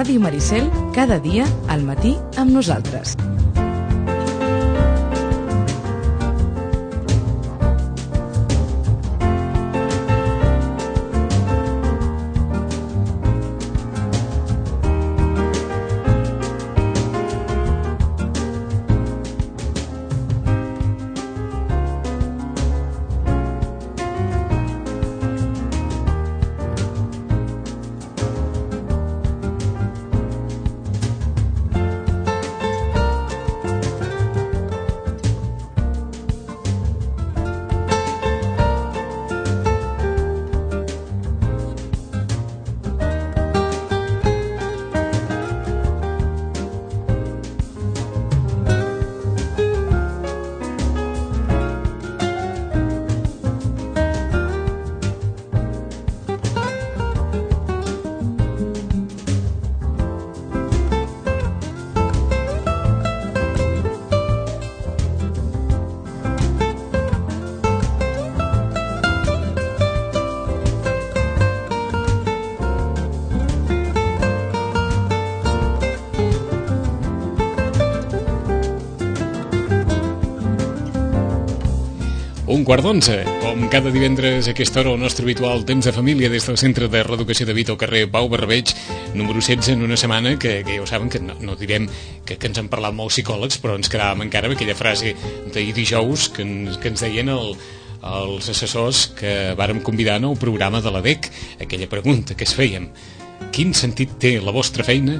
Ràdio Maricel, cada dia al matí amb nosaltres. Un quart d'onze, com cada divendres a aquesta hora, el nostre habitual temps de família des del Centre de Reeducació de Vita al carrer Pau Barberbeig, número 16, en una setmana que ja ho saben, que no direm que ens han parlat molts psicòlegs, però ens quedàvem encara amb aquella frase d'ahir dijous que ens deien els assessors que vàrem convidar en el programa de l'ADEC, aquella pregunta que es fèiem: quin sentit té la vostra feina?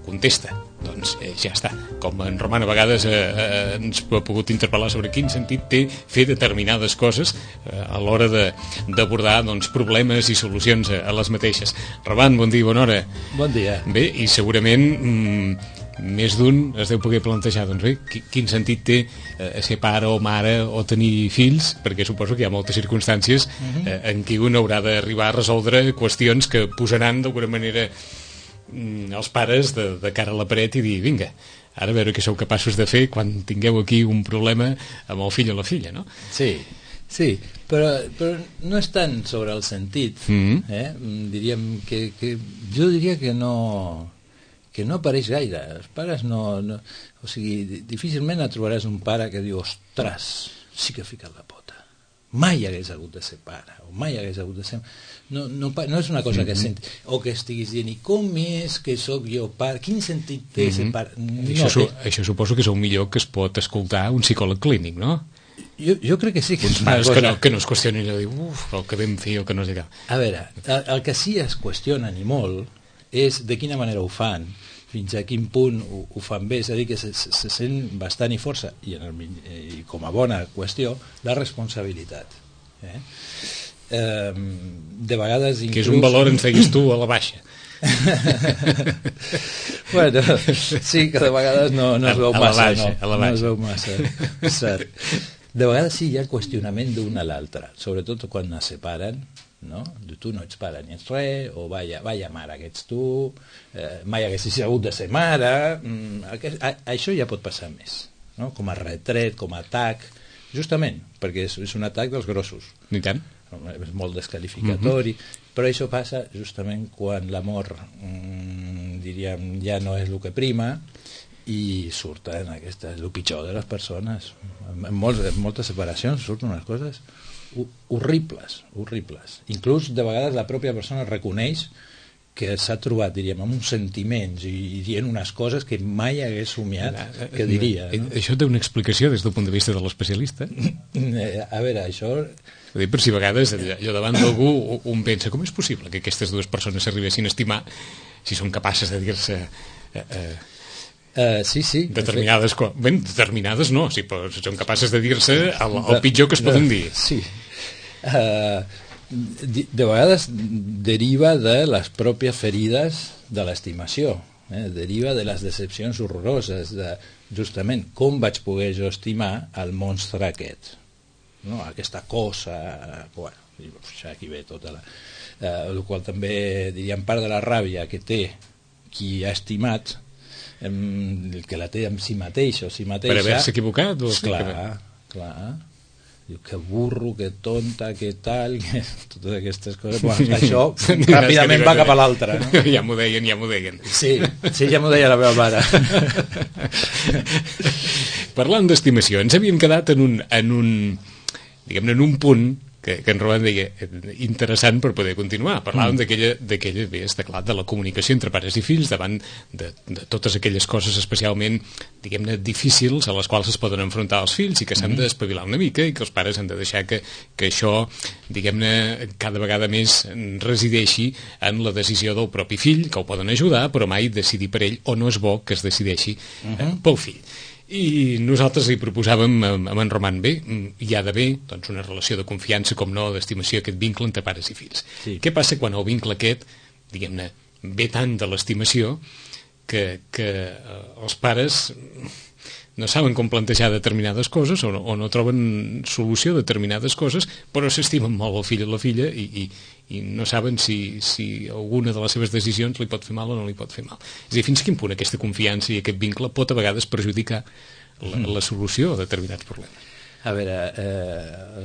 Contesta. Doncs ja està. Com en Roman a vegades ens ha pogut interpel·lar sobre quin sentit té fer determinades coses a l'hora d'abordar problemes i solucions a les mateixes. Roman, bon dia, bona hora. Bon dia. Bé, i segurament més d'un es deu poder plantejar, doncs bé, quin sentit té ser pare o mare o tenir fills, perquè suposo que hi ha moltes circumstàncies en què un haurà d'arribar a resoldre qüestions que posaran d'alguna manera els pares de cara a la paret i dir, vinga, ara a veure què sou capaços de fer quan tingueu aquí un problema amb el fill o la filla, no? Sí, però no és tant sobre el sentit, diríem que jo diria que no apareix gaire. Els pares no, o sigui, difícilment trobaràs un pare que diu, ostres, sí que he ficat la pota, mai hagués hagut de ser pare, o mai hagués hagut de ser... No és una cosa que senti, o que estiguis dient, i com és que sóc jo pare, quin sentit té ser pare? Això suposo que és el millor que es pot escoltar un psicòleg clínic, no? Jo crec que sí que és una cosa... Que no es qüestioni allò de dir, el que vam fer o que no sé què. A veure, el que sí es qüestionen i molt és de quina manera ho fan, fins a quin punt ho fan bé, és a dir, que se sent bastant i força, i com a bona qüestió, la responsabilitat. De vegades inclús... Que és un valor, ens deies tu, a la baixa. Bueno, sí, que de vegades no es veu massa, no es veu massa, cert. De vegades sí hi ha qüestionament d'un a l'altre, sobretot quan es separen, no? Tu no ets pare ni ets res, o vaya mare que ets tu, mai haguessis hagut de ser mare, això ja pot passar més, no? Com a retret, com a atac, justament perquè és un atac dels grossos. Ni tant. És molt desqualificatori, però això passa justament quan l'amor, diríem, ja no és el que prima i surten el pitjor de les persones. En moltes separacions surten unes coses horribles. Inclús de vegades la pròpia persona reconeix que s'ha trobat, diríem, amb uns sentiments i dient unes coses que mai hagués somiat que diria. No? Això té una explicació des del punt de vista de l'especialista? A veure, això... Per si a vegades allò davant d'algú un pensa, com és possible que aquestes dues persones s'arribessin a estimar si són capaces de dir-se... Sí. Determinades no, sí, però són capaces de dir-se el pitjor que es poden dir. Sí. De vegades deriva de les pròpies ferides de l'estimació, deriva de les decepcions horroroses, de justament com vaig poder jo estimar el monstre aquest, no? Aquesta cosa, bueno, aquí ve tota el qual també diríem part de la ràbia que té qui ha estimat, que la té amb si mateix o si mateixa, per haver-se equivocat o... clar, diu que burro, que tonta, que tal, que totes aquestes coses. Bueno, això ràpidament va cap a l'altre, no? Ja m'ho deien. Sí, ja m'ho deia la meva mare. Parlant d'estimació, ens havíem quedat en un punt que en Roman deia interessant per poder continuar. Parlàvem d'aquella, bé, està clar, de la comunicació entre pares i fills davant de totes aquelles coses especialment, diguem-ne, difícils a les quals es poden enfrontar els fills i que s'han d'espavilar una mica i que els pares han de deixar que això, diguem-ne, cada vegada més resideixi en la decisió del propi fill, que ho poden ajudar, però mai decidir per ell, o no és bo que es decideixi pel fill. I nosaltres li proposàvem amb en Roman, bé, hi ha d'haver doncs, una relació de confiança, com no, d'estimació, aquest vincle entre pares i fills. Sí. Què passa quan el vincle aquest, diguem-ne, ve tant de l'estimació que els pares no saben com plantejar determinades coses o no troben solució a determinades coses, però s'estimen molt el fill o la filla i no saben si alguna de les seves decisions li pot fer mal o no li pot fer mal. És a dir, fins a quin punt aquesta confiança i aquest vincle pot a vegades perjudicar la solució a determinats problemes. A veure,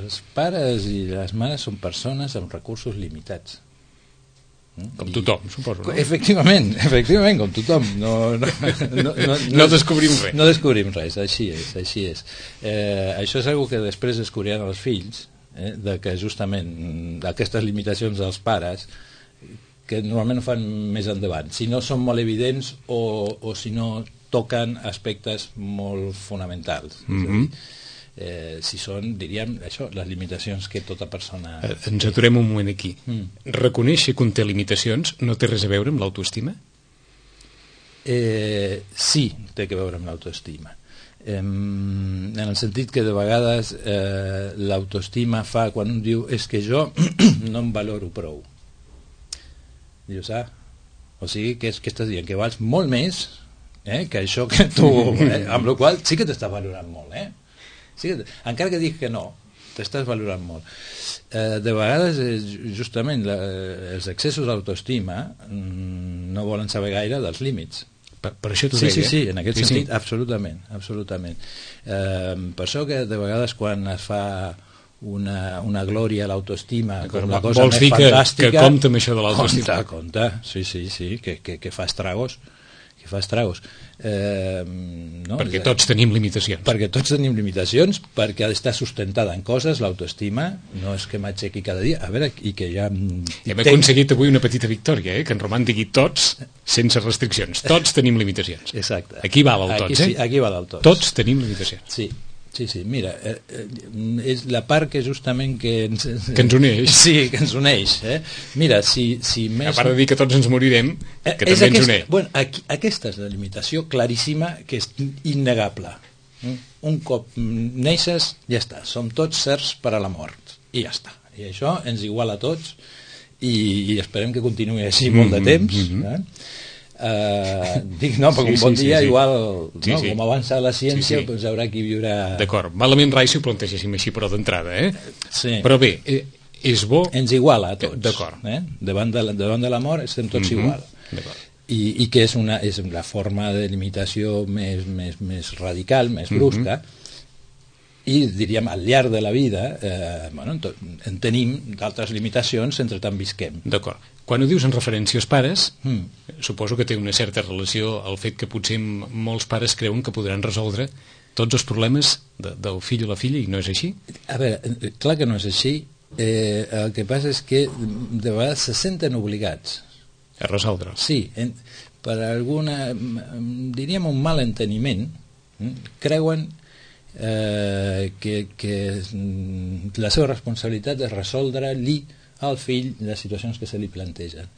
els pares i les mares són persones amb recursos limitats. Com tothom, suposo, no? Efectivament, com tothom. No descobrim res. No descobrim res, així és. Això és una que després descobriran els fills, de que justament aquestes limitacions dels pares, que normalment ho fan més endavant, si no són molt evidents o si no toquen aspectes molt fonamentals. Si són, diríem, això, les limitacions que tota persona... Ens aturem un moment aquí. Reconèixer que un té limitacions no té res a veure amb l'autoestima? Sí, té a veure amb l'autoestima. En el sentit que de vegades l'autoestima fa quan un diu és que jo no em valoro prou. Dius, o sigui que estàs dient que vals molt més que això que tu... amb la qual sí que t'estàs valorant molt, Sí, encara que dic que no, t'estàs valorant molt. De vegades, justament, els excessos d'autoestima no volen saber gaire dels límits. Per això t'ho deia. Sí, en aquest sentit, absolutament. Per això que de vegades quan es fa una glòria a l'autoestima com la cosa més fantàstica... Que compta amb això de l'autoestima. Compta, sí, que fa estragos. No? Perquè tots tenim limitacions. Perquè ha d'estar sustentada en coses, l'autoestima no és que m'aixequi cada dia, a veure, i que ja... Hem aconseguit avui una petita victòria, que en Roman digui tots sense restriccions, tots tenim limitacions. Exacte. Aquí val el tots, Aquí val el tots. Tots tenim limitacions. Sí, mira, és la part que justament que ens uneix. Sí, que ens uneix. Mira, si més... A part de dir que tots ens morirem, que també ens uneix. Bueno, aquesta és la limitació claríssima, que és innegable. Un cop neixes, ja està, som tots certs per a la mort, i ja està. I això ens iguala a tots, i esperem que continuï així molt de temps, dic, no, perquè un bon dia igual, com avança la ciència, doncs haurà qui viurà... D'acord, malament rai si ho plantegéssim així, però d'entrada, Però bé, és bo... Ens iguala a tots. D'acord. Davant de la mort estem tots igual. I que és la forma de limitació més radical, més brusca, i diríem al llarg de la vida en tenim d'altres limitacions entre tant visquem. D'acord. Quan ho dius en referència als pares, suposo que té una certa relació al fet que potser molts pares creuen que podran resoldre tots els problemes del fill o la filla, i no és així? A veure, clar que no és així. El que passa és que de vegades se senten obligats a resoldre. Sí, per alguna, diríem, un mal enteniment, creuen que la seva responsabilitat és resoldre-li al fill les situacions que se li plantegen.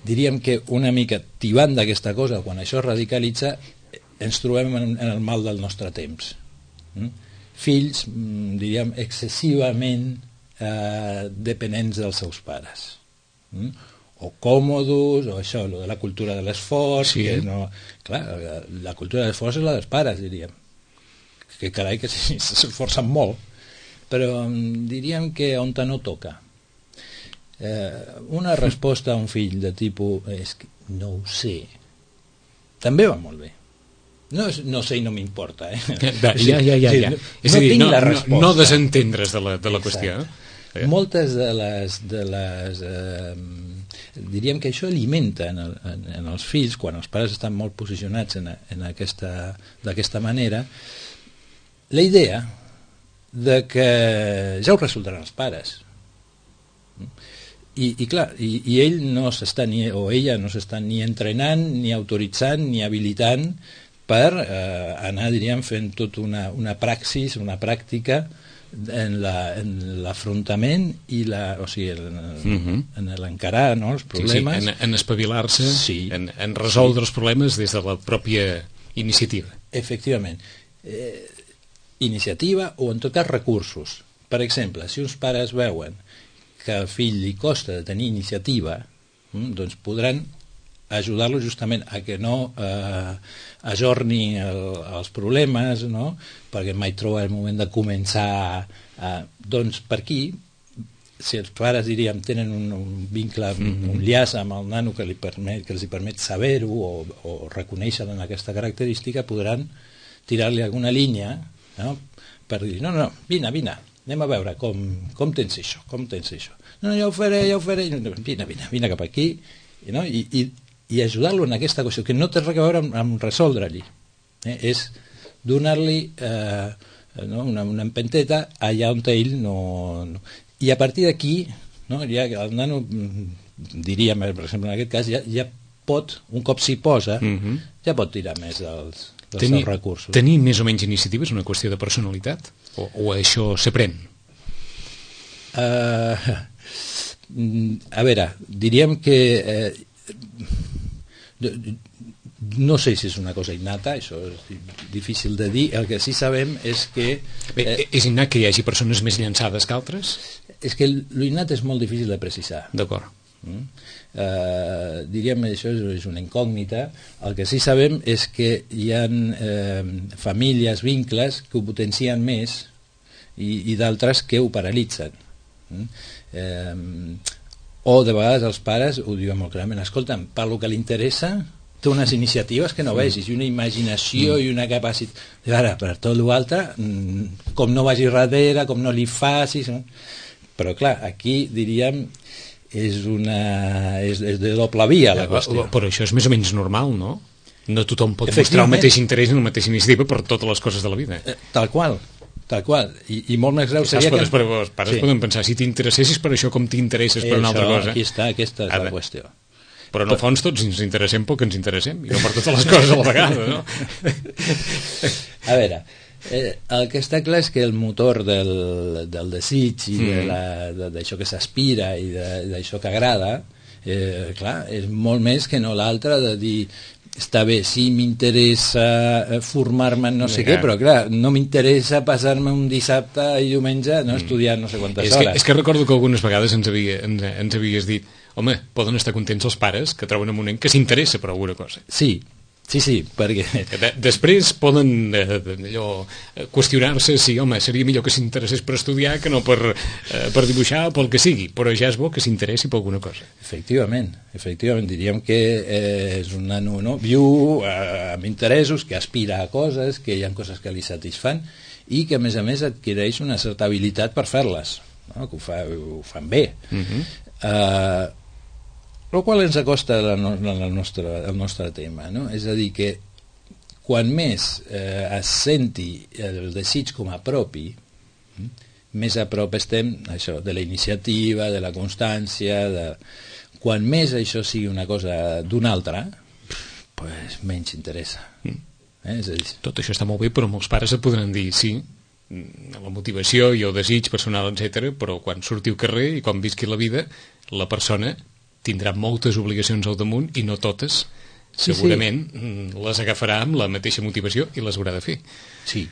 Diríem que una mica tibant d'aquesta cosa, quan això es radicalitza, ens trobem en el mal del nostre temps. Fills, diríem, excessivament dependents dels seus pares. O còmodos, o això, lo de la cultura de l'esforç, que no... Clar, la cultura de l'esforç és la dels pares, diríem. Que carai, que s'esforcen molt. Però diríem que on no toca. Una resposta a un fill de tipus és que no ho sé, també va molt bé. No sé i no m'importa, Ja. És a dir, no desentendre's de la qüestió. Moltes de les diríem que això alimenta en els fills, quan els pares estan molt posicionats d'aquesta manera, la idea de que ja ho resoldran els pares. I clar, i ell no s'està o ella no s'està ni entrenant, ni autoritzant, ni habilitant per anar, diríem, fent tot una praxis, una pràctica en l'afrontament i en l'encarar, no, els problemes. Sí, en espavilar-se, en resoldre els problemes des de la pròpia iniciativa. Efectivament. Iniciativa o, en tot cas, recursos. Per exemple, si uns pares veuen que al fill li costa de tenir iniciativa, doncs podran ajudar-lo justament a que no ajorni els problemes, no? Perquè mai troba el moment de començar. Doncs per aquí, si els pares, diríem, tenen un vincle, un llaç amb el nano que els permet saber-ho o reconèixer en aquesta característica, podran tirar-li alguna línia, no? Per dir, no, vine, anem a veure com tens això, No, ja ho faré, vine cap aquí, no? I ajudar-lo en aquesta qüestió, que no té res a veure amb resoldre-li. És donar-li una empenteta allà on ell no... I a partir d'aquí, no, ja el nano, diríem, per exemple, en aquest cas, ja pot, un cop s'hi posa, ja pot tirar més dels seus recursos. Tenir més o menys iniciativa és una qüestió de personalitat? O això s'aprèn? A veure, diríem que no sé si és una cosa innata, això és difícil de dir. El que sí sabem és que... És innat que hi hagi persones més llançades que altres? És que l'innat és molt difícil de precisar. D'acord. Diríem que això és una incògnita. El que sí sabem és que hi ha famílies, vincles que ho potencien més i d'altres que ho paralitzen. O de vegades els pares ho diuen molt clarament, escolta'm, per lo que li interessa té unes iniciatives que no vegis i una imaginació i una capacitat. Ara, per tot l'altre, com no vagi darrere, com no li facis, però clar, aquí diríem és de doble via la qüestió. Però això és més o menys normal, no? No tothom pot mostrar el mateix interès i la mateixa iniciativa per totes les coses de la vida. Tal qual. I molt més greu seria que... Els pares poden pensar, si t'interessessis per això, com t'interesses per una altra cosa? Aquí està, aquesta és la qüestió. Però en el fons tots ens interessem pel que ens interessem i no per totes les coses a la vegada, no? A veure, el que està clar és que el motor del desig i d'això que s'aspira i d'això que agrada, clar, és molt més que no l'altre de dir està bé, sí, m'interessa formar-me en no sé què, però clar, no m'interessa passar-me un dissabte i diumenge estudiant no sé quantes hores. És que recordo que algunes vegades ens havies dit, home, poden estar contents els pares que troben un moment que s'interessa per alguna cosa. Sí, perquè... Després poden qüestionar-se si, home, seria millor que s'interessés per estudiar que no per dibuixar o pel que sigui, però ja és bo que s'interessi per alguna cosa. Efectivament, diríem que és un nano, no? Viu amb interessos, que aspira a coses, que hi ha coses que li satisfan i que a més adquireix una certa habilitat per fer-les, no? Que ho fan bé. El qual ens acosta al nostre tema, no? És a dir, que quan més es senti el desig com a propi, més a prop estem això, de la iniciativa, de la constància, quan més això sigui una cosa d'una altra, pues menys interessa. És a dir... Tot això està molt bé, però molts pares et podran dir sí, la motivació i el desig personal, etc. Però quan surti al carrer i quan visqui la vida, la persona tindrà moltes obligacions al damunt i no totes, segurament les agafarà amb la mateixa motivació i les haurà de fer. Sí.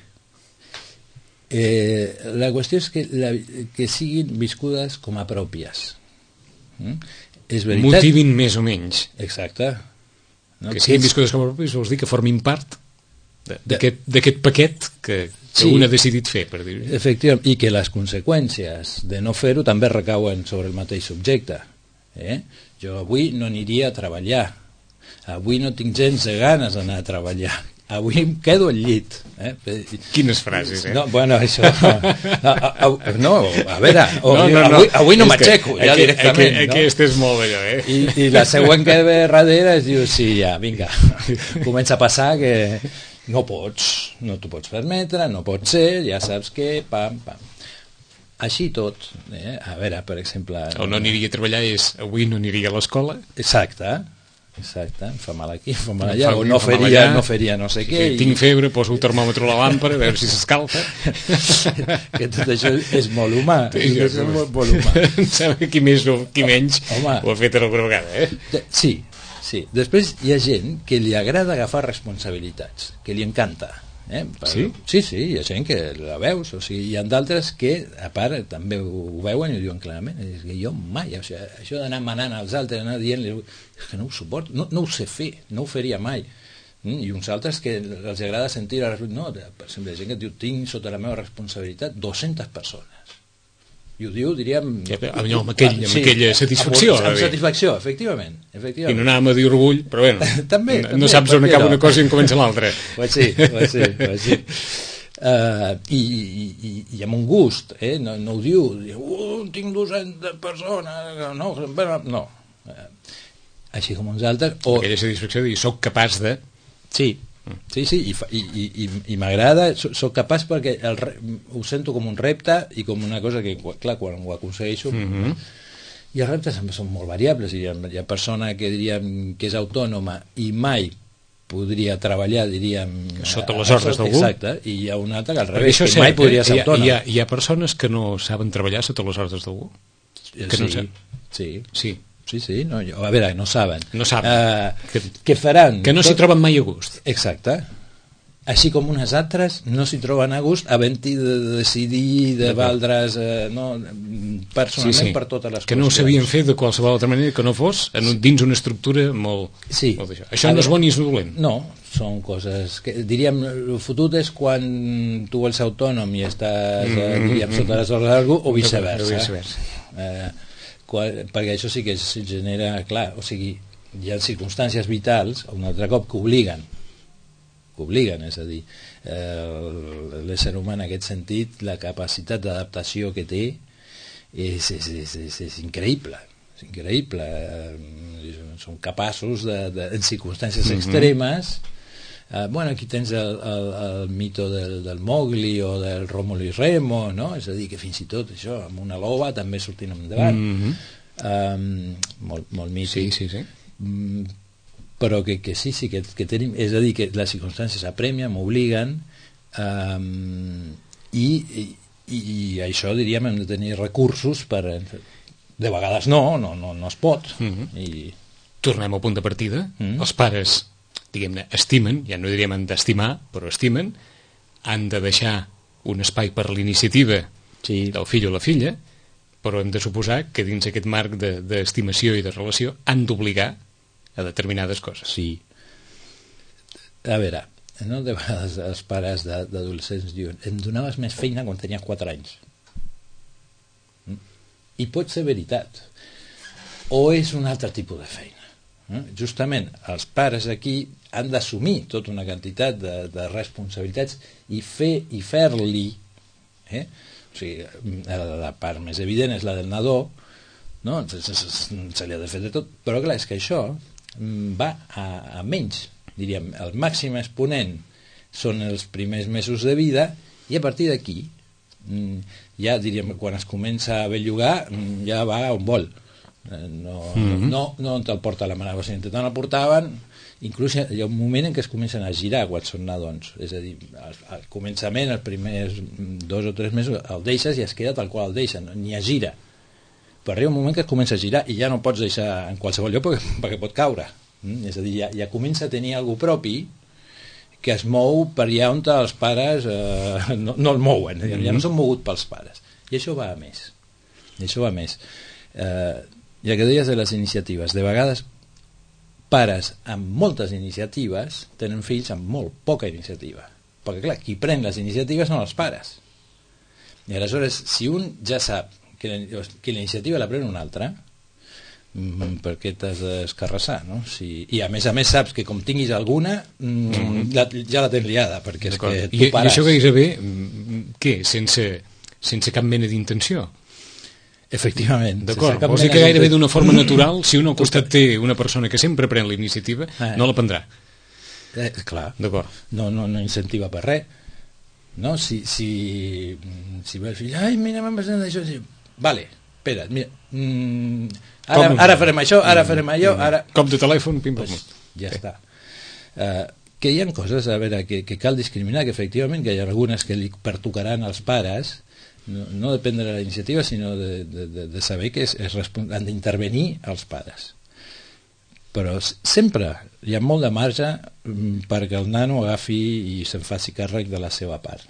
La qüestió és que siguin viscudes com a pròpies. És veritat. Motivin més o menys. Exacte. No? Que siguin viscudes com a pròpies vols dir que formin part d'aquest paquet que un ha decidit fer, per dir-ho. Efectivament, i que les conseqüències de no fer-ho també recauen sobre el mateix subjecte. Jo avui no aniria a treballar, avui no tinc gens de ganes d'anar a treballar, avui em quedo al llit. Quines frases, No, bueno, això... No, a veure, avui no m'aixeco, ja directament. Aquest és molt allò, I la següent que ve darrere es diu, sí, ja, vinga, comença a passar que no t'ho pots permetre, no pot ser, ja saps que, pam. Així tot, a veure, per exemple... On no aniria a treballar és, avui no aniria a l'escola. Exacte, em fa mal aquí, em fa mal allà, o no faria no sé què. Tinc febre, poso el termòmetre a la làmpara, a veure si s'escalfa. Que tot això és molt humà. És molt humà. Em sembla que qui més o qui menys ho ha fet alguna vegada, Sí. Després hi ha gent que li agrada agafar responsabilitats, que li encanta. Sí? Sí, hi ha gent que la veus, o sigui, hi ha d'altres que a part també ho veuen i ho diuen clarament, és que jo mai, o sigui, això d'anar manant als altres, anar dient-li, és que no ho suporto, no ho sé fer, no ho faria mai. I uns altres que els agrada sentir no, per exemple, gent que et diu, tinc sota la meva responsabilitat 200 persones, i ho diu, diríem... Amb aquella satisfacció. Amb satisfacció, efectivament. I no anàvem a dir orgull, però bueno, també, no saps on acaba una cosa i on comença l'altra. Pues sí. I amb un gust, no ho diu, tinc 200 persones, no. Així com uns altres... Aquella satisfacció de dir, soc capaç de... Sí, i m'agrada, soc capaç perquè ho sento com un repte i com una cosa que, clar, quan ho aconsegueixo i els reptes sempre són molt variables, hi ha persona que diríem que és autònoma i mai podria treballar, diríem, sota les ordres d'algú. Exacte, i hi ha un altre que al revés, que mai podria ser autònom. Hi ha persones que no saben treballar sota les ordres d'algú? Sí, no, a veure, no saben. Que faran? Que no s'hi troben mai a gust. Exacte. Així com unes altres no s'hi troben a gust havent-hi de decidir, de valdre's personalment per totes les que no ho sabien fer de qualsevol altra manera que no fos dins una estructura molt d'això. Això no és bo ni és dolent. No, són coses que, diríem, el fotut és quan tu vols ser autònom i estàs, diríem, sota les ordres d'algú o viceversa. Perquè això sí que es genera, clar, o sigui, hi ha circumstàncies vitals un altre cop que obliguen, és a dir, l'ésser humà en aquest sentit, la capacitat d'adaptació que té és increïble, són capaços en circumstàncies extremes. Aquí tens el mito del Mowgli o del Rómulo i Remo, no? És a dir, que fins i tot això, amb una loba també sortint endavant. Molt mític. Sí. Però que sí, que tenim, és a dir, que les circumstàncies apremien, m'obliguen, i això, diríem, hem de tenir recursos per... De vegades no es pot. Tornem al punt de partida. Els pares, diguem-ne, estimen, ja no diríem han d'estimar, però estimen, han de deixar un espai per l'iniciativa del fill o la filla, però hem de suposar que dins aquest marc d'estimació i de relació han d'obligar a determinades coses. Sí. A veure, no? De vegades els pares d'adolescents diuen, em donaves més feina quan tenia 4 anys. I pot ser veritat. O és un altre tipus de feina. Justament, els pares aquí han d'assumir tota una quantitat de responsabilitats i fer-li, o sigui, la part més evident és la del nadó, no? Se li ha de fer de tot, però clar, és que això va a menys, diríem, el màxim exponent són els primers mesos de vida i a partir d'aquí ja, diríem, quan es comença a bellugar ja va on vol, no on te'l porta la mare, o sigui, tant el portaven, inclús hi ha un moment en què es comencen a girar quan són nadons, és a dir, al començament, els primers 2 o 3 mesos el deixes i es queda tal qual el deixen, ni es gira, però arriba un moment que es comença a girar i ja no pots deixar en qualsevol lloc perquè pot caure, és a dir, ja comença a tenir algú propi que es mou per allà on els pares no el mouen, ja no són mogut pels pares, i això va a més, ja que deies de les iniciatives, de vegades pares amb moltes iniciatives tenen fills amb molt poca iniciativa, perquè clar, qui pren les iniciatives són els pares, i aleshores si un ja sap que la iniciativa la pren un altre, per què t'has d'escarrassar, no? I a més saps que com tinguis alguna ja la tens liada, perquè és que tu pares. I això gairebé què? Sense cap mena d'intenció? Efectivament. D'acord, vols dir que gairebé d'una forma natural, si un al costat té una persona que sempre pren la iniciativa, no la prendrà. Clar, no incentiva per res, no? Si ve el fill, ai, mira, m'han passat això, vale, espera, mira, ara farem això, ara farem allò, ara... Cop de telèfon, pim-pam. Pues, ja està. Que hi ha coses, a veure, que cal discriminar, que efectivament que hi ha algunes que li pertocaran als pares, no depèn de la iniciativa, sinó de saber que han d'intervenir els pares. Però sempre hi ha molt de marge perquè el nano agafi i se'n faci càrrec de la seva part.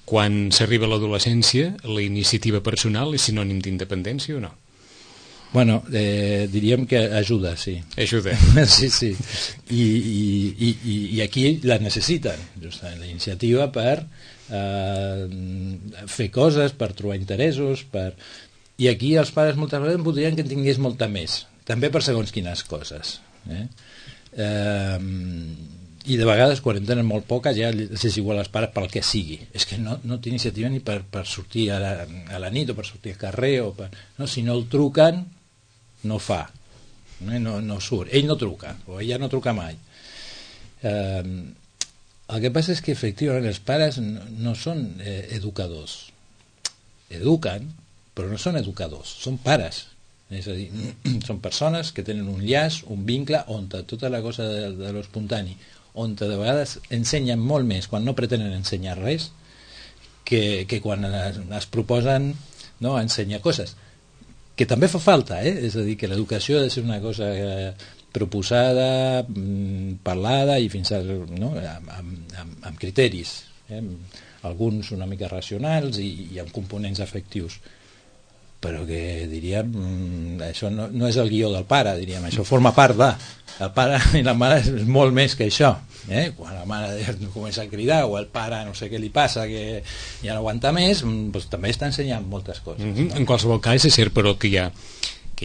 Quan s'arriba a l'adolescència, la iniciativa personal és sinònim d'independència o no? Bueno, diríem que ajuda, sí. Ajuda. Sí. I aquí la necessiten, justament, la iniciativa per fer coses, per trobar interessos, i aquí els pares moltes vegades voldrien que en tingués molta més, també per segons quines coses. I de vegades quan en tenen molt poca ja és igual als pares pel que sigui, és que no té iniciativa ni per sortir a la nit o per sortir al carrer no, si no el truquen no fa, no surt, ell no truca o ella no truca mai. El que passa és que efectivament els pares no són educadors, eduquen però no són educadors, són pares. És a dir, són persones que tenen un llaç, un vincle on tota la cosa de l'espontani, on de vegades ensenyen molt més quan no pretenen ensenyar res que quan es proposen ensenyar coses, que també fa falta, és a dir, que l'educació ha de ser una cosa proposada, parlada i fins amb criteris, alguns una mica racionals i amb components afectius, però que diríem això no és el guió del pare, diríem, això forma part el pare i la mare és molt més que això, quan la mare comença a cridar o el pare no sé què li passa que ja no aguanta més, doncs també està ensenyant moltes coses. En qualsevol cas és cert però que hi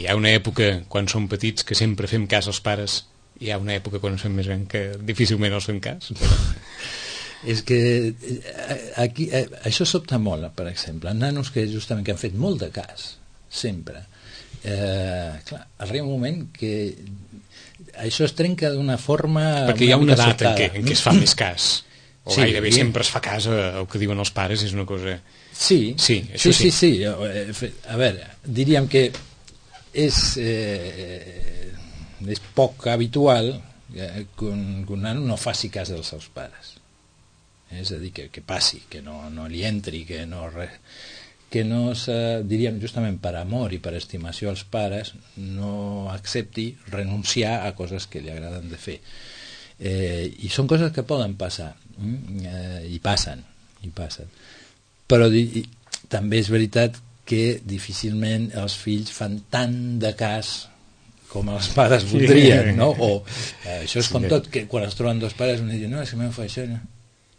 ha una època quan som petits que sempre fem cas als pares, hi ha una època quan som més grans que difícilment els fem cas. És que aquí això sobta molt, per exemple, nanos que justament que han fet molt de cas sempre, clar, arriba un moment que això es trenca d'una forma perquè hi ha una edat en què es fa més cas o sí, gairebé sempre es fa cas al que diuen els pares, és una cosa... Sí. A veure, diríem que és poc habitual que un nano no faci cas dels seus pares, és a dir, que passi, que no li entri, que no diríem justament per amor i per estimació als pares no accepti renunciar a coses que li agraden de fer, i són coses que poden passar i passen, però també és veritat que difícilment els fills fan tant de cas com els pares voldrien, no? O això és com tot, que quan es troben dos pares un diu, no, és que m'ho fa això, no?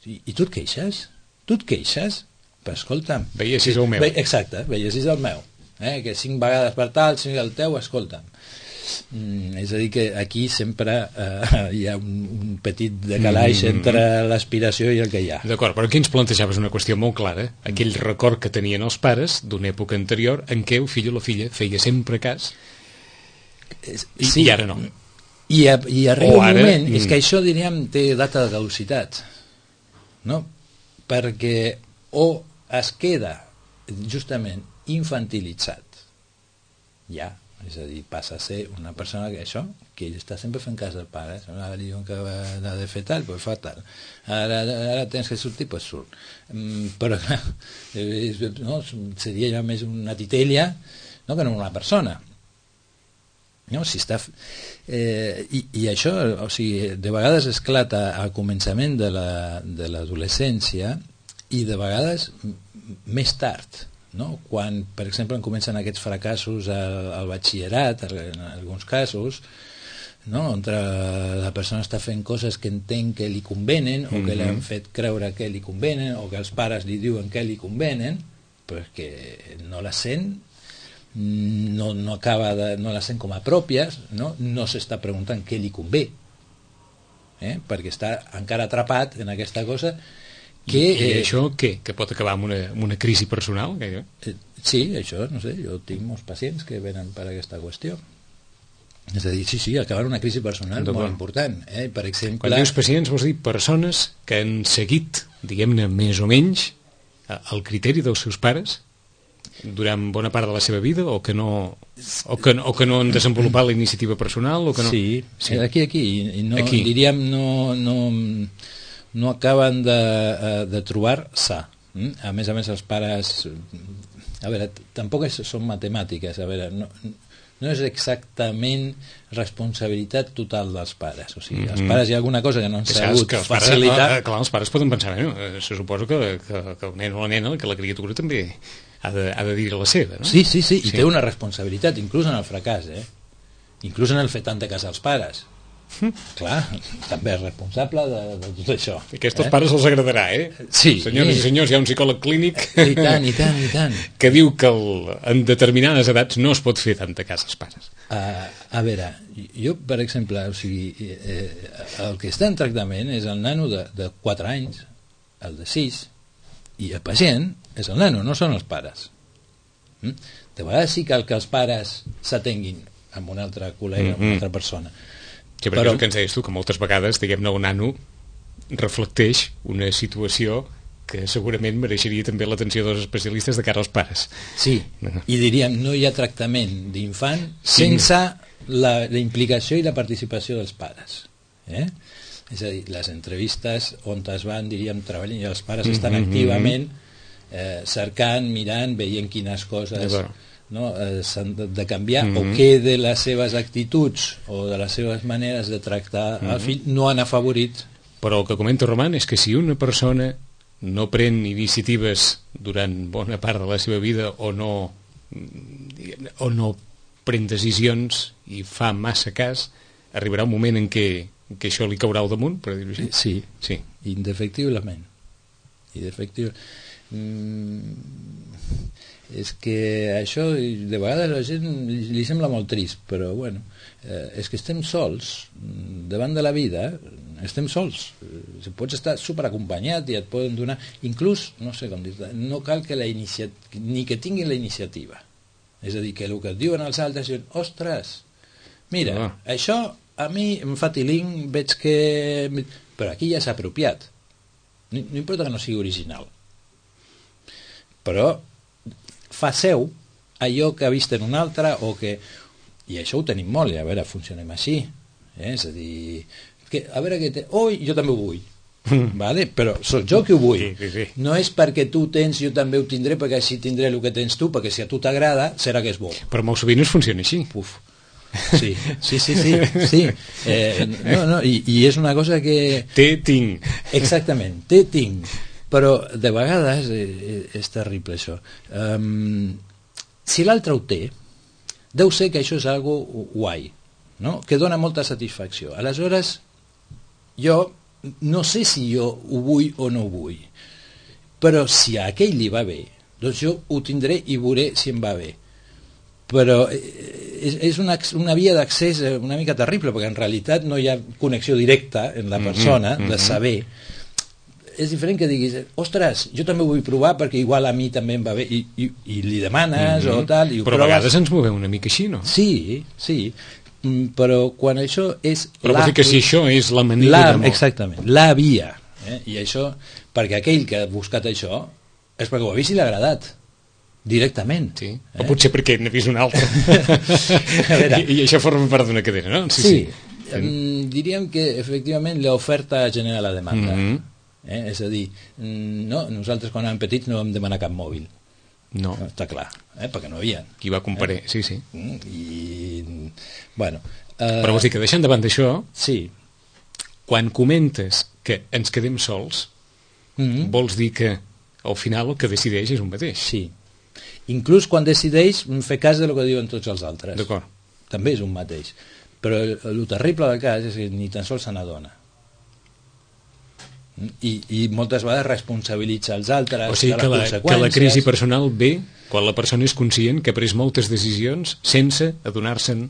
I tu et queixes? Però escolta'm, veies si és el meu. Exacte, veies si és el meu, que 5 vegades per tal, si és el teu, escolta'm. És a dir, que aquí sempre hi ha un petit decalaix entre l'aspiració i el que hi ha. D'acord, però aquí ens plantejaves una qüestió molt clara, aquell record que tenien els pares d'una època anterior en què el fill o la filla feia sempre cas i ara no. I arriba un moment, és que això diríem té data de caducitat, no? Perquè o es queda justament infantilitzat ja, és a dir, passa a ser una persona que ell està sempre fent cas del pare, ara li diuen que ha de fer tal, doncs fa tal, ara tens que sortir, doncs surt, però clar, seria ja més una titella que no una persona, no? Si està... I això, o sigui, de vegades esclata al començament de l'adolescència i de vegades més tard, no? Quan, per exemple, comencen aquests fracassos al batxillerat, en alguns casos, no? On la persona està fent coses que entén que li convenen o que l'han fet creure que li convenen o que els pares li diuen que li convenen, però que no la sent no acaba no les sent com a pròpies, no s'està preguntant què li convé, perquè està encara atrapat en aquesta cosa que... I això què? Que pot acabar amb una crisi personal? Sí, això, no sé, jo tinc molts pacients que venen per aquesta qüestió. És a dir, sí, acabar una crisi personal molt important. Per exemple... Quan dius pacients vols dir persones que han seguit, diguem-ne, més o menys el criteri dels seus pares durant bona part de la seva vida o que no han desenvolupat la iniciativa personal o que no... Sí. Aquí i no, aquí. Diríem no acaben de trobar sa. A més els pares, a veure, tampoc són matemàtiques, a veure, no és exactament responsabilitat total dels pares, o sigui, els pares hi ha alguna cosa que no han sabut facilitar. Clar, els pares poden pensar, se suposa que el nen o la nena, que la criatura també ha de dir la seva, no? Sí, i té una responsabilitat, inclús en el fracàs, inclús en el fet tant de casar els pares. Clar, també és responsable de tot això. Aquests pares els agradarà, Sí. Senyores i senyors, hi ha un psicòleg clínic I tant. que diu que en determinades edats no es pot fer tanta casa als pares. A veure, jo, per exemple, o sigui, el que està en tractament és el nano de 4 anys, el de 6, i el pacient és el nano, no són els pares. De vegades sí cal que els pares s'atenguin amb un altre col·lega, amb una altra persona. Sí, però el que ens deies tu, que moltes vegades, diguem-ne, un nano reflecteix una situació que segurament mereixeria també l'atenció dels especialistes de cara als pares. Sí, i diríem, no hi ha tractament d'infant sense la implicació i la participació dels pares. És a dir, les entrevistes on es van, diríem, treballant, i els pares estan activament cercant, mirant, veient quines coses... s'han de canviar o què de les seves actituds o de les seves maneres de tractar el fill no han afavorit. Però el que comenta Roman és que si una persona no pren iniciatives durant bona part de la seva vida o no pren decisions i fa massa cas, arribarà un moment en què això li caurà al damunt, per dir-ho així. Sí. Indefectiblement. És que això de vegades a la gent li sembla molt trist, però bueno, és que estem sols davant de la vida, estem sols, pots estar superacompanyat i et poden donar, inclús, no sé com dir, no cal que ni que tinguin la iniciativa, és a dir, que el que et diuen els altres diuen, ostres, mira, això a mi em fa tiling, veig que... però aquí ja s'ha apropiat, no importa que no sigui original, però fa seu allò que ha vist en un altre o que... i això ho tenim molt, i a veure, funcionem així, és a dir, a veure què té... jo també ho vull, vale? Però soc jo que ho vull, sí. No és perquè tu tens, jo també ho tindré, perquè així tindré el que tens tu, perquè si a tu t'agrada serà que és bo. Però molt sovint es funciona així. Sí. I és una cosa que... tinc. Exactament, tinc. Però de vegades és terrible això. Si l'altre ho té, deu ser que això és algo guai, no? Que dona molta satisfacció. Aleshores, jo no sé si jo ho vull o no ho vull, però si a aquell li va bé, doncs jo ho tindré i veuré si em va bé. Però és una via d'accés una mica terrible, perquè en realitat no hi ha connexió directa en la persona de saber. És diferent que diguis, ostres, jo també ho vull provar perquè igual a mi també em va bé, i li demanes o tal, i ho però proves. A vegades ens movem una mica així, no? Sí, però quan això és... Però vol dir que si això és la manera de... Exactament, la via, i això, perquè aquell que ha buscat això és perquè ho ha vist i l'ha agradat directament. Sí, o potser perquè n'ha vist un altre. I això forma part d'una cadena, no? Sí. Diríem que efectivament l'oferta genera la demanda. És a dir, nosaltres quan érem petits no vam demanar cap mòbil, no, està clar, perquè no hi havia. Qui va comparar, sí. Però vols dir que deixant de banda això, sí, quan comentes que ens quedem sols, vols dir que al final el que decideix és un mateix. Sí, inclús quan decideix fer cas del que diuen tots els altres. D'acord. També és un mateix. Però el terrible del cas és que ni tan sols se n'adona. I moltes vegades responsabilitza els altres o sigui de les que conseqüències. la crisi personal ve quan la persona és conscient que ha pres moltes decisions sense adonar-se'n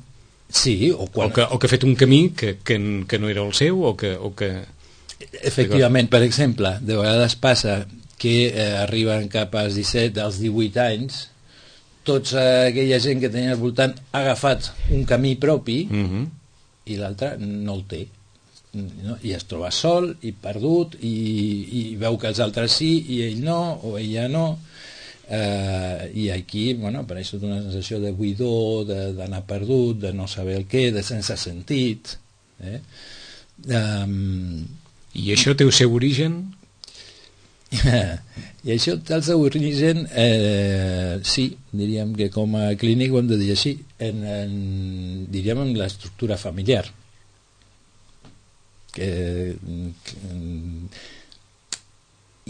Sí, o que ha fet un camí que no era el seu o que... Efectivament, per exemple, de vegades passa que arriben cap als 17, als 18 anys, tota aquella gent que tenia al voltant ha agafat un camí propi i l'altre no el té. No? I es troba sol i perdut i veu que els altres sí i ell no, o ella no. I aquí apareix tota una sensació de buidor, d'anar perdut, de no saber el què, de sense sentit. I això té el seu origen? I això té el seu origen, sí, diríem que com a clínic ho hem de dir així, diríem en l'estructura familiar.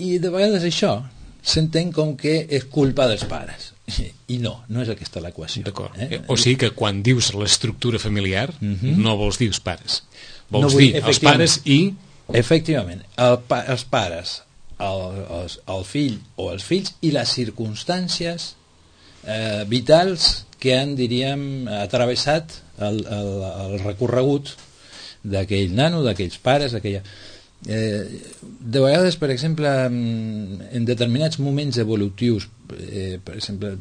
I de vegades això s'entén com que és culpa dels pares i no és aquesta l'equació. O sigui que quan dius l'estructura familiar no vols dir els pares, vols dir els pares i... Efectivament, els pares, el fill o els fills i les circumstàncies vitals que han, diríem, atravessat el recorregut d'aquell nano, d'aquells pares, d'aquella... de vegades, per exemple, en determinats moments evolutius, per exemple,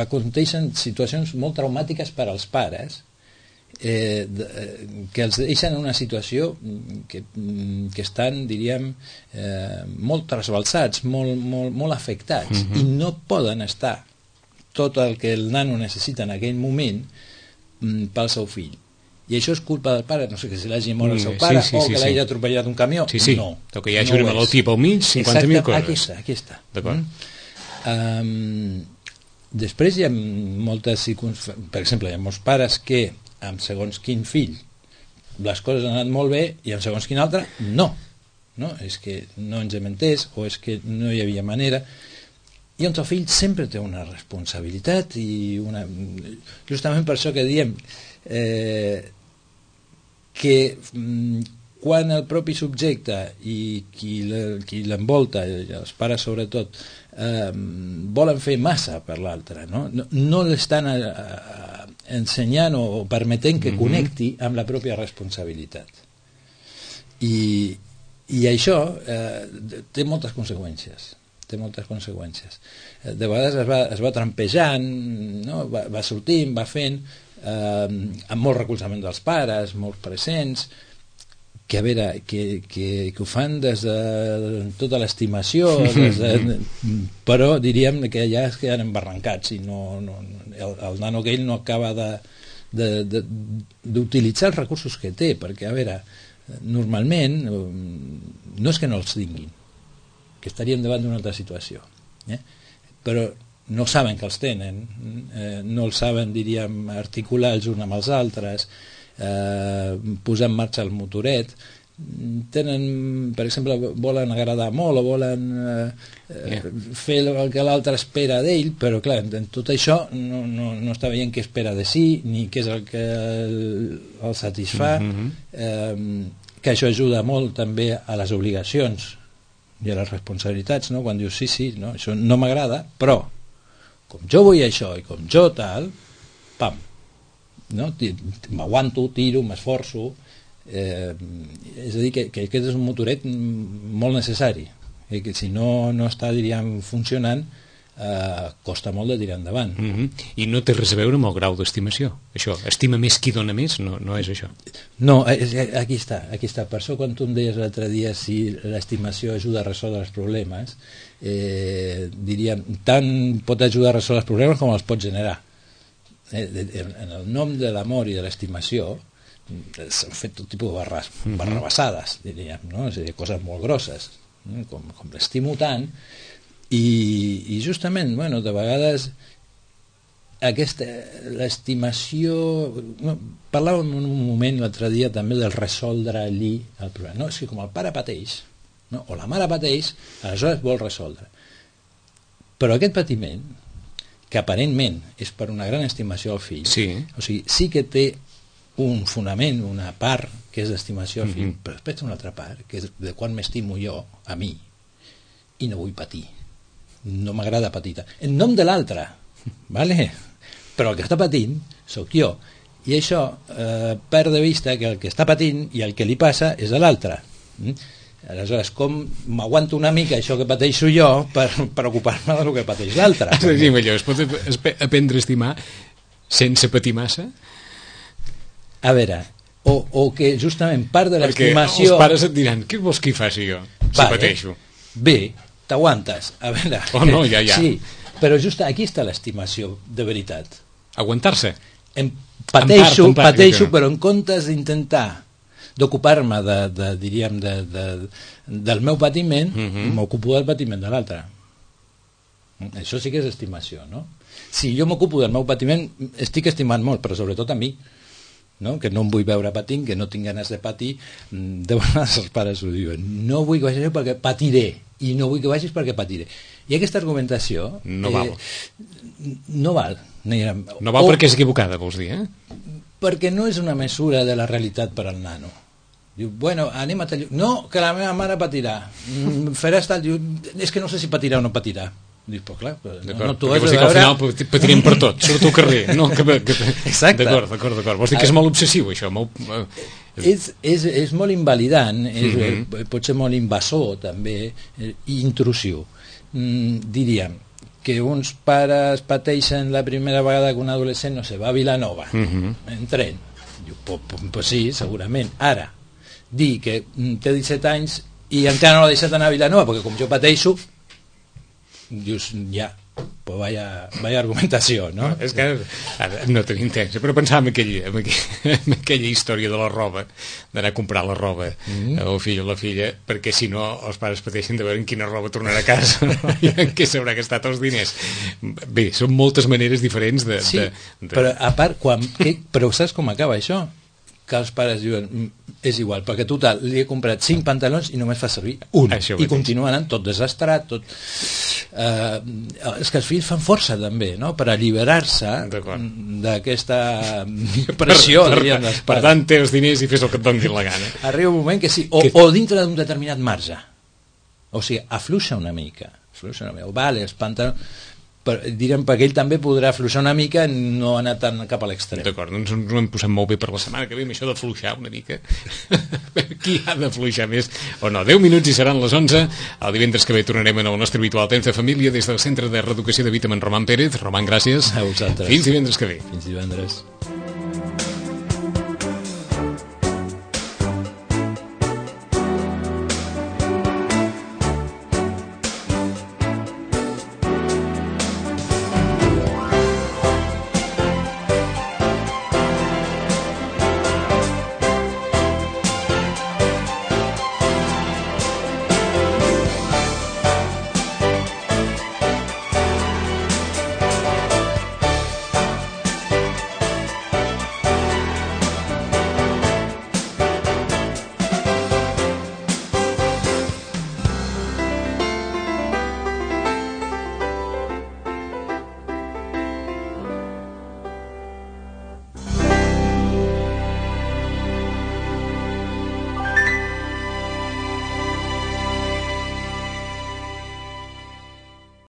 aconteixen situacions molt traumàtiques per als pares que els deixen en una situació que estan, diríem, molt trasbalsats, molt afectats, i no poden estar tot el que el nano necessita en aquell moment pel seu fill. I això és culpa del pare, no sé, que se l'hagi mort el seu pare o que l'hagi atropellat un camió. No, o que hi hagi una malaltia pel mig, 50.000 coses. Aquí està. D'acord. Després hi ha moltes circumstàncies, per exemple, hi ha molts pares que amb segons quin fill les coses han anat molt bé i amb segons quin altre no, és que no ens hem entès o és que no hi havia manera, i on el fill sempre té una responsabilitat i justament per això que diem que quan el propi subjecte i qui l'envolta, els pares sobretot, volen fer massa per l'altre, no l'estan ensenyant o permetent que connecti amb la pròpia responsabilitat. I això té moltes conseqüències. De vegades es va trampejant, va sortint, va fent, amb molt recolzament dels pares, molt presents, que a veure, que ho fan des de tota l'estimació, però diríem que ja es queden embarrancats i el nano aquell no acaba d'utilitzar els recursos que té, perquè a veure, normalment no és que no els tinguin, que estaríem davant d'una altra situació, però no saben que els tenen, no els saben, diríem, articular els uns amb els altres, posar en marxa el motoret, tenen, per exemple, volen agradar molt o volen fer el que l'altre espera d'ell, però clar, en tot això no està veient què espera de si ni què és el que el satisfà, que això ajuda molt també a les obligacions i a les responsabilitats, quan dius sí, això no m'agrada, però com jo vull això i com jo tal, pam, m'aguanto, tiro, m'esforço, és a dir, que aquest és un motoret molt necessari, que si no està, diríem, funcionant, costa molt de tirar endavant. I no té res a veure amb el grau d'estimació, això, estima més qui dona més, no és això. No, aquí està, per això quan tu em deies l'altre dia si l'estimació ajuda a resoldre els problemes, diríem, tant pot ajudar a resoldre els problemes com els pot generar. En el nom de l'amor i de l'estimació s'han fet tot tipus de barrabassades, diríem, és a dir, coses molt grosses, com l'estimo tant, i justament, de vegades l'estimació, parlàvem en un moment l'altre dia també del resoldre allí el problema, és que com el pare pateix o la mare pateix, aleshores vol resoldre, però aquest patiment, que aparentment és per una gran estimació al fill, o sigui, sí que té un fonament, una part que és d'estimació al fill, però després una altra part que és de quan m'estimo jo a mi i no vull patir, no m'agrada patir en nom de l'altre, vale? Però el que està patint sóc jo, i això perd de vista que el que està patint i el que li passa és a l'altre. Aleshores, com m'aguanto una mica això que pateixo jo per preocupar-me del que pateix l'altre? Es pot aprendre a estimar sense patir massa? A veure, o que justament part de l'estimació... Perquè els pares et diran, què vols que hi faci jo, si pateixo? Bé, t'aguantes, a veure... Oh no, ja. Sí, però just aquí està l'estimació de veritat. Aguantar-se? Pateixo, però en comptes d'intentar d'ocupar-me diríem del meu patiment, m'ocupo del patiment de l'altre. Això sí que és estimació, no? Si jo m'ocupo del meu patiment, estic estimant molt, però sobretot a mi, no? Que no em vull veure patint, que no tinc ganes de patir. De vegades els pares ho diuen, no vull que vagis perquè patiré, i no vull que vagis perquè patiré. I aquesta argumentació no val. No val. No val perquè és equivocada, vols dir, perquè no és una mesura de la realitat per al nano. Diu, bueno, anem a tallar... No, que la meva mare patirà. Faràs tal... Diu, és que no sé si patirà o no patirà. Dius, però clar... No, tu has de veure... Al final patirem per tot, surto al carrer. No, exacte. D'acord. Vols dir que és molt obsessiu, això? És molt invalidant, pot ser molt invasor, també, i intrusiu. Diríem que uns pares pateixen la primera vegada que un adolescent, no sé, va a Vilanova en tren. Diu, pues sí, segurament. Ara, dir que té 17 anys i encara no l'ha deixat anar a Vilanova perquè com jo pateixo, dius, ja, pues vaya argumentació, no? És que ara no tenim temps, però pensava en aquella història de la roba, d'anar a comprar la roba al fill o la filla, perquè si no els pares pateixen de veure en quina roba tornarà a casa i en què s'haurà gastat els diners. Bé, són moltes maneres diferents de... Sí, però a part, però saps com acaba això? Que els pares diuen, és igual, perquè total, li he comprat 5 pantalons i només fa servir un, i continua anant tot desastrat, tot... és que els fills fan força també, no?, per alliberar-se d'aquesta pressió, diríem, dels pares. Per tant, té els diners i fes el que et doni la gana. Arriba un moment que sí, o dintre d'un determinat marge, o sigui, afluixa una mica, vale, els pantalons... Direm, perquè ell també podrà afluixar una mica i no anar tant cap a l'extrem. D'acord, doncs ens ho hem posat molt bé per la setmana que ve amb això de fluixar una mica. Qui ha de fluixar més o no? 10 minuts i seran les 11. El divendres que ve tornarem en el nostre habitual temps de família des del Centre de Reeducació de Vita amb en Roman Pérez. Roman, gràcies. A vosaltres. Fins divendres que ve. Fins divendres.